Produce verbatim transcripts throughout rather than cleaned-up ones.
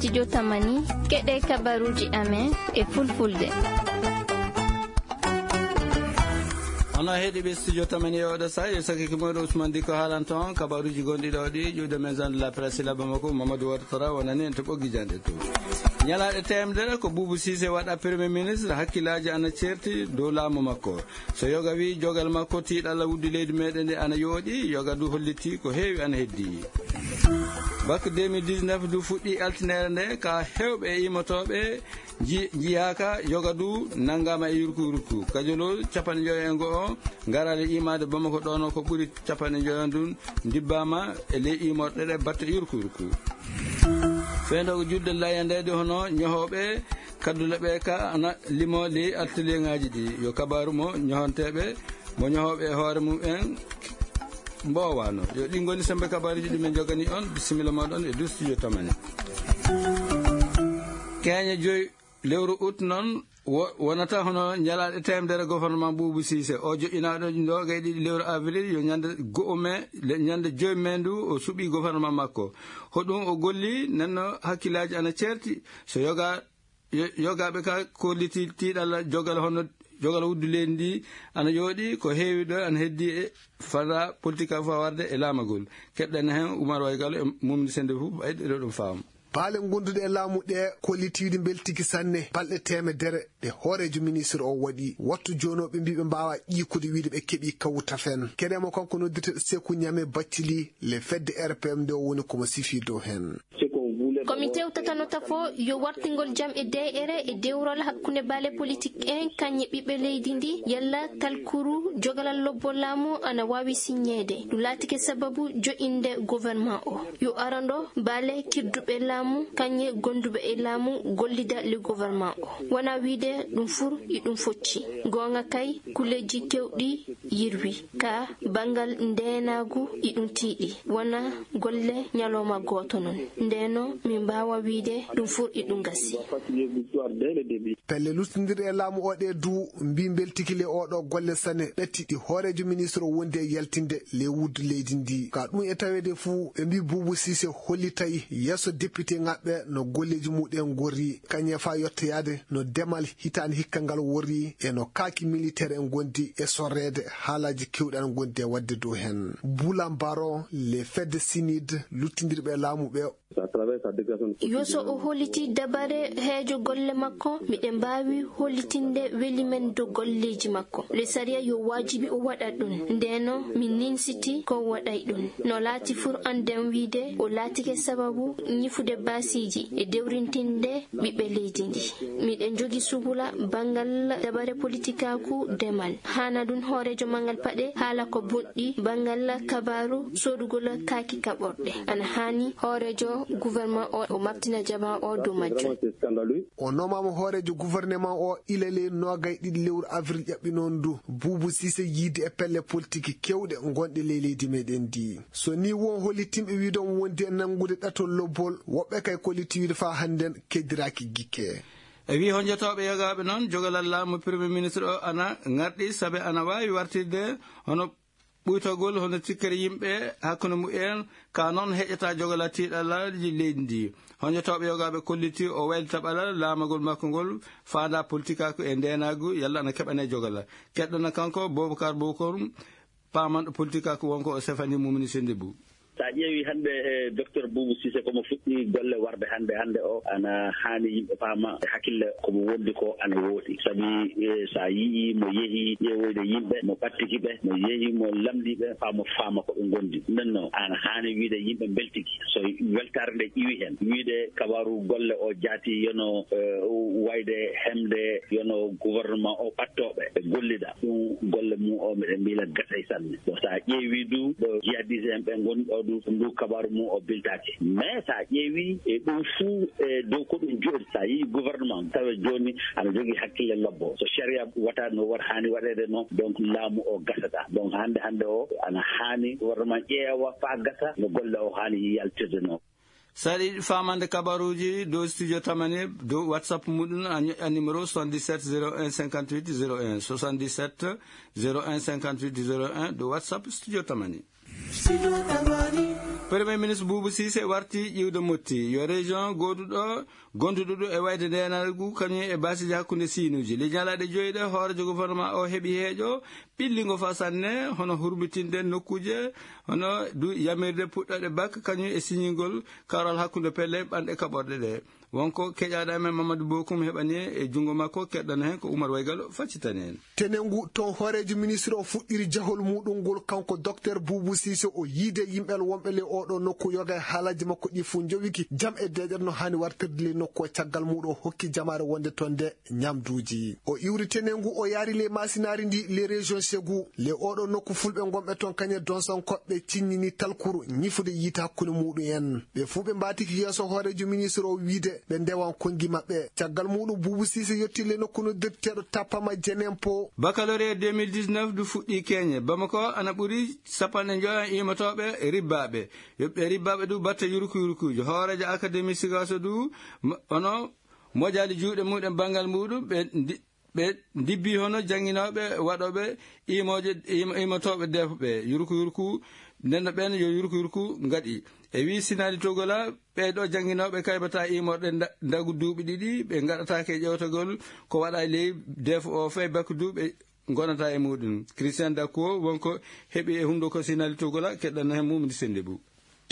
Studio Tamani, keɗe kabaruji amen e fulfulde. Ono heɗiɓe Studio Tamani e oɗo sa, yo sakki ko moɗo Ousmane Diko haalanta on kabaruji gonɗi ɗo ɗi, ƴuwde maison de la presse Sila Bamako, Mamadou Wata Tara wonani en to ɓoggi jande to. Ñalaɗe temedere ko Boubou Cissé waɗa premier ministre, hakkillaji ana certi dow laamu makko. So yoga wi jogal makko tiiɗalla wuddu leydi meɗen nde ana yooɗi, yoga du holliti ko heewi ana heddi. Bak deux mille dix-neuf du fuɗɗi altinere nde ka hewɓe e imotoɓe ji-, jiyaka, yoga du nangama e yurku yurku. Kajolo capanɗe joyo e go'o, garale imade Bamako ɗono ko ɓuri capanɗe joyo ndun dibbama e ley imorɗe ɗe batte yurku yurku. Fendogo judde layandede hono ñohoɓe kaddule ɓe ka ana limo ley atelier ngaji ɗi. Yo kabaru mo ñohonteɓe, mo ñohoɓe e hoore mum en mbowano. Yo ɗi goni sembe kabaruji ɗi min jogani on. Bisimilla moɗon e du Studio Tamani. Keñe joyi lewru août noon wo-, wonata hono ñalaaɗe teemedere gouvernement Boubou Cissé. O joƴƴinaaɗo ndoga e ɗiɗi lewru avril, yo ñande go'o mai, le-, ñande joyi mai ndu o suɓi gouvernement makko. Hoɗum o golli, nenno hakkillaaji ana ceerti. So yoga-, yo-, yogaaɓe ka kolliti tiiɗalla jogal hono jogal wuddu leydi ndi ana yooɗi, ko heewi ɗo ana heddi e fada politique a fawarde e laamagol. Keɗɗen heen Oumar Waygalo e Mumni Sende fof, ɓayde ɗo ɗum faam. Baale gonduɗe e laamu ɗe kollitiiɗi mbeltiki sanne, balɗe teemedere ɗe hooreejo ministre o waɗi. Wattu jooni o ɓe mbii ɓe mbaawaa ƴiikude wiide ɓe keɓii kawu tafen. Keɗee mo kanko noddirteeɗo Seku Ñame Baccili, le fedde R P M nde o woni ko mo sifii dow heen. Ko mi tewtatano tafo yo wartingol jam e de'ere e dewrol hakkunde baale politik en kañe ɓiɓɓe leydi ndi, yalla talkuru jogalal lobbol laamu ana waawi siññeede. Ɗum laatike sababu jo'inde gouvernement o. Yo arando baale kirduɓe laamu kañe gonduɓe e laamu gollida le gouvernement o. Wona wiide ɗum fur e ɗum focci. Goonga kay, kuleeji kewɗi yirwi. Ka banngal ndeenaagu e ɗum tiiɗi. Wona golle ñalawma gooto noon. Ndeno min mbaawa wiide ɗum fur e ɗum gasi. Pelle luttindirɗe e laamu o ɗe du mbi mbeltiki le oɗo golle sane ɗatti ɗi hooreejo ministre o wondi e yaltinde le wuddu leydi ndi. Ka ɗum e taweede fuu ɓe mbi Boubou Cissé hollitay yeeso député ngaɓɓe no golleeji muɗen ngorri, kañe fa yettoyaade no demal hitaande hikka ngal worri e no kaaki militaire en ngondi e sorreede haalaaji keewɗi ana ngondi e waɗde dow heen. Bulan Baro, le fedde sinide luttindirɓe e laamu ɓe. Yo so o holliti dabare heejo golle makko, miɗen mbaawi hollitinde weli men dow golleeji makko. Le sariya yo waajibi o waɗa ɗum. Ndeno min ninsiti ko o waɗay ɗum. No laati fur annden wiide o laatike sababu ñifude baasiiji e dewrintinde ɓiɓɓe leydi ndi. Miɗen jogi subula banngal dabare politikaaku demal. Hana ɗum hooreejo manngal paɗe haala ko bonɗi banngal kabaaru soodugol kaaki kaɓorɗe. Ana haani hooreejo gouvernement o, o mabtina jamaa o dow majjum. O nomama hooreejo gouvernement o ila ley noogay ɗiɗi lewru avril ƴaɓɓi noon ndu. Boubou Cissé yiide e pelle politique kewɗe gonɗe ley leydi meɗen ndi. So ni won hollitimɓe wiide omo wondi e nanngude ɗatol lobbol, woɓɓe kay kolliti wiide faa hannden keddiraaki gikke. E wii honjotooɓe yogaaɓe noon, jogalal laamu Premier Ministre o ana ŋarɗi, sabe ana waawi wartirde hono ɓuytagol, hono tikkere yimɓe hakkunde mumen, ka noon heƴata jogalal tiiɗalaaji leydi ndi. Honjotooɓe yogaaɓe kolliti o waylita ɓalal laamagol makko ngol, faandaa politikaaku e ndeenaagu, yalla ana keɓane jogalal. Keɗɗana kanko Boubacar Boukour, paamanɗo politikaaku wonko o sefani Mumini Sendibou. Sa ƴeewi hannde, e, Docteur Boubou Cissé, komo fuɗɗi golle warde hannde, hannde o, ana haani yimɓe paama e hakkille komo wondi ko ana wooti. Sabi, e, sa yi'i mo yehi ƴeewoyde yimɓe, mo ɓattiki ɓe, mo yehi mo lamndi ɓe, faa mo faama ko ɓe ngondi. Nden noon, ana haani wiide yimɓe mbeltiki. So weltaare nde ƴiwi heen, wiide kabaaru golle o jaati yono, e, wayde hemde yono gouvernement o ɓattooɓe e gollida. Ɗum golle mum o, miɗen mbila gasay sanne. Bon, sa ƴeewi du ɗo jihadiste en ɓe ngoni ɗo du, ndu kabaru mum o biltaki. Mais sa ƴeewi e ɗum fuu e dow ko ɗum jooɗi, sa yii gouvernement tawa jooni ana jogii hakkille lobbo. So sharia wata no war haani waɗeede noon, donc laamu o gasata. Donc hannde, hannde o ana haani gouvernement ƴeewa faa gasa no golle o haani yaltirde noon. So aɗa yiɗi faamande kabaruuji dow Studio Tamani, dow WhatsApp muɗum, a ñoƴƴat numéro soixante-dix-sept zéro un cinquante-huit zéro un, soixante-dix-sept zéro un cinquante-huit zéro un, dow WhatsApp Studio Tamani. Premier ministre Boubou Cissé warti ƴiwde Motti, yo région gooduɗo, gonduɗo ɗo e wayde ndeenagu, kañum e baasiji hakkunde siinuuji. Ley ñalaaɗe joyi ɗe, hooreejo gouvernement o heɓi heeƴo ɓillingo fa sanne, hono hurmitinde nokkuuje, hono du yamirde puɗɗoɗe bak, kañum e siñingol karol hakkunde pelle ɓanɗe kaɓorɗe ɗe. Wonko keƴaaɗo amen Mamadou Bokum heɓani e junngo makko, keɗɗano heen ko Oumar Waygalo faccitani en. Tenengu toon hooreejo ministre o fuɗɗiri jahol muɗum ngol, kanko Docteur Boubou Cissé, o yiide yimɓe wonɓe le oɗo nokku, yoga e haalaaji makko ɗi fof njowiki jam e deeƴere no haani wartirde le nokku o. Caggal muɗum o hokki jamaare wonde toon nde ñamduuji. O iwri tenengu, o yaari le maasinaari ndi, le région Ségou. Le oɗo nokku fulɓe ngonɓe toon kañe donsankoɓe ciññini talkuru ñifude yiite hakkunde muɗum en. Ɓe fuu ɓe mbaatiki yeeso hooreejo ministre o wiide ɓe ndewan konngi maɓɓe. Caggal muɗum Boubou Cissé yetti le nokku noddirteeɗo Tapama Jenempo. Baccalauréat deux mille dix-neuf du fuɗɗi keñe. Bamako ana ɓuri sappanɗe njoya imatooɓe ribbaaɓe. Yoɓɓe ribbaaɓe du batte yurku yurkuujo. Hooreejo Académie Sigaso du ma-, ono mojaali juuɗe muɗum banngal muɗum ɓe ndi-, ɓe ndibbi hono jannginooɓe waɗooɓe imooje, im-, imotooɓe defo ɓe yurku yurku, nden no ɓen yo yurku yurku ngaɗi. E wii Sinali Togola, ɓee ɗo jannginooɓe kaybata imorɗe nda-, ndagu duuɓi ɗiɗi, ɓe ngaɗataake ƴewtagol ko waɗa e ley defo o fay bakku duuɓi ngonata e muɗum. Christian Dakkuo wonko heɓi e hunnduko Sinali Togola, keɗɗan heen mum ndi sennde bu.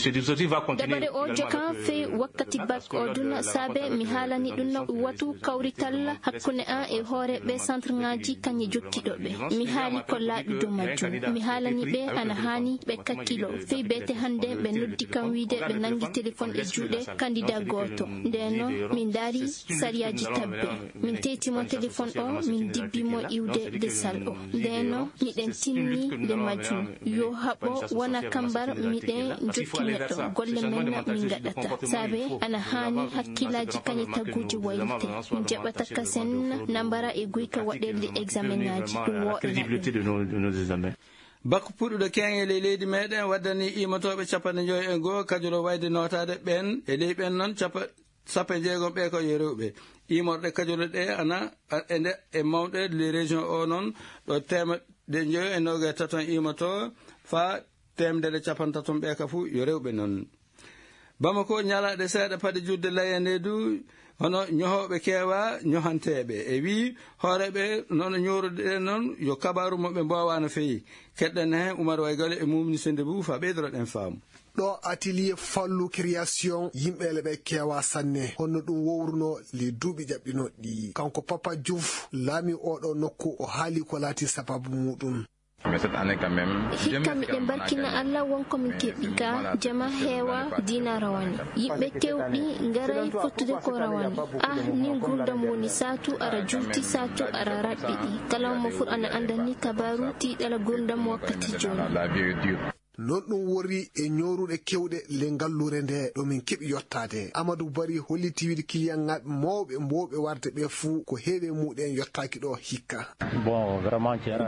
Dabare o jokan fey wakkati bak o duna saabe mi haalani ɗum no watu kawrital hakkunde an e hooreeɓe centre ngaji kañe jokkiɗo ɓe. Mi haali ko laaɓi dow majjum. Mi haalani ɓe ana haani ɓe kakkilo. Fey beete hannde ɓe noddi kam wiide ɓe nangi téléphone e juuɗe candidat gooto. Ndeno min ndaari sariyaaji tabbe. Min teyti mo téléphone o, min dibbi mo iwde desal o. Ndeno miɗen tinni nde majjum. Yo haɓo wona kambar miɗen jokki neɗɗo. Golle men min ngaɗata. Saabe ana haani hakkilaaji kañe tagguuji waylite. Jaɓata kasen nambara e guyka waɗirde examen ŋaaji. Ɗum woɗna. Bakku puɗɗuɗo keeŋe ley leydi meɗen waddani imatooɓe capanɗe njoyo e goo kajoro wayde nootaade ɓen. E ley ɓen noon capa-, sappo e jeegom ɓe ko yo rewɓe. Iimorɗe kajorɗe ɗe ana, a, e nde, e mawɗe les régions o noon, ɗo teemedde njoyo e noga e taton iimoto, faa teemedere capantaton ɓe ka fuu yo rewɓe noon. Bamako, ñalaaɗe seeɗa paɗe juutde layande du, hono ñohooɓe keewa ñohanteeɓe. E wii hooreeɓe noon ñoorude ɗen noon, yo kabaaru mo ɓe mboowaa no feewi. Keɗɗen heen Oumar Waygale e Mumni Sende Bou faa ɓeydoroɗen faamu. Ɗo atelier Fallou Création, yimɓe le ɓe keewa sanne. Honno ɗum wowruno le duuɓi ƴaɓɓinooɗi ɗi? Kanko Papa Diouf, laami oɗo nokku, o haali ko laati sababu muɗum. Hikka miɗen barkina Allah wonko min keɓi ka jama heewa diina rawane. Yimɓe kewɗi ngaray fottude ko rawane. Ah, ni ngurdam woni saatu ara juuti, saatu ara raɓɓiɗi. Kala mo fur ana anda ni kabaru tiiɗala ngurdam wakkati jooni. Non ɗum wori e ñooruɗe kewɗe le ngalluure nde ɗo min keɓi yottaade. Amadou Bari holliti wiide kiliyanŋaaɓe mawɓe mbowɓe warde ɓe fuu ko heewi e muɗen yottaaki ɗo hikka.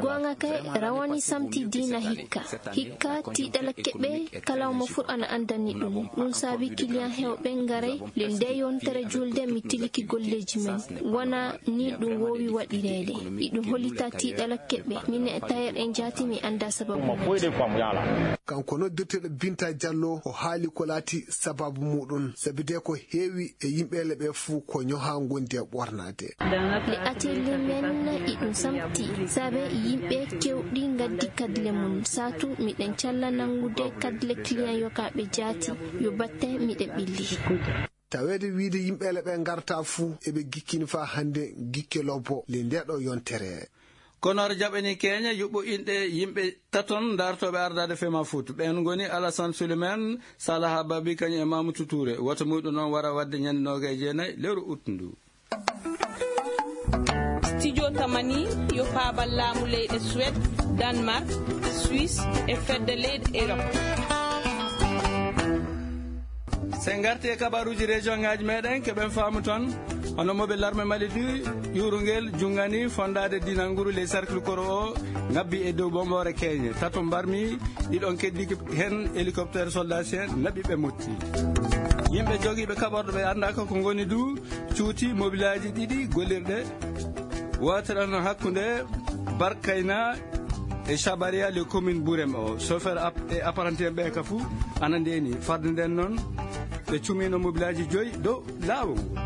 Goonga kay, rawani samti diina hikka. Hikka tiiɗala keɓe kala mo fur ana andani ɗum. Ɗum saabi kiliyan heewɓe ngaray le nde yontere julde mi tiliki golleeji men. Wona ni ɗum woowi waɗireede. Iɗum hollita tiiɗala keɓe. Min e tayer en jaati mi anda sababu. Kanko noddirteɗo Binta Diallo o haali ko laati sababu muɗum. Sabi de ko heewi e yimɓe le ɓe fuu ko ñoha ngondi e ɓornaade. Le atelier men iɗum samti. Saabe yimɓe kewɗi ngaddi kadle mum. Saatu miɗen calla nangude kadle client yokaaɓe jaati. Yo batte miɗen ɓilli. Taweede wiide yimɓe le ɓe ngarta fuu eɓe gikkini faa hannde gikke lobbo le ndeɗo yontere. Kono aɗa jaɓani keeña yuɓɓo inɗe yimɓe taton daartooɓe ardaade Fema Foot. Ɓeen ngoni Alassane Souleymane, Salaha Babi, kañum e Mamoudou Touré. Woto muɗum noon wara waɗde ñande noogay e jeenay lewru ut ndu. Studio Tamani yo paabal laamu leyɗe Suède, Danemark, Suisse e fedde leyɗe Europe. Sen ngarti e kabaruuji région ŋaaji meɗen, keɓen faamu toon. Hono moɓe larme Mali du, ƴuurungel junngani fondaade diinal nguru ley cercle koro o, ngabbi e dow bomboore keeñe. Tato mbarmi, ɗiɗon keddiki heen hélicoptère soldat sien, naɓi ɓe motti. Yimɓe jogiiɓe kaɓorɗe ɓe anndaaka ko ngoni du, cuuti mobilaaji ɗiɗi gollirɗe. Wootere no hakkunde Barkayna E Sabaria le commune Burem o chauffeur e apprenti ɓe ka fuu ana ndeni farde nden noon ɓe cumino mobilaaji joyi dow laawol ngol.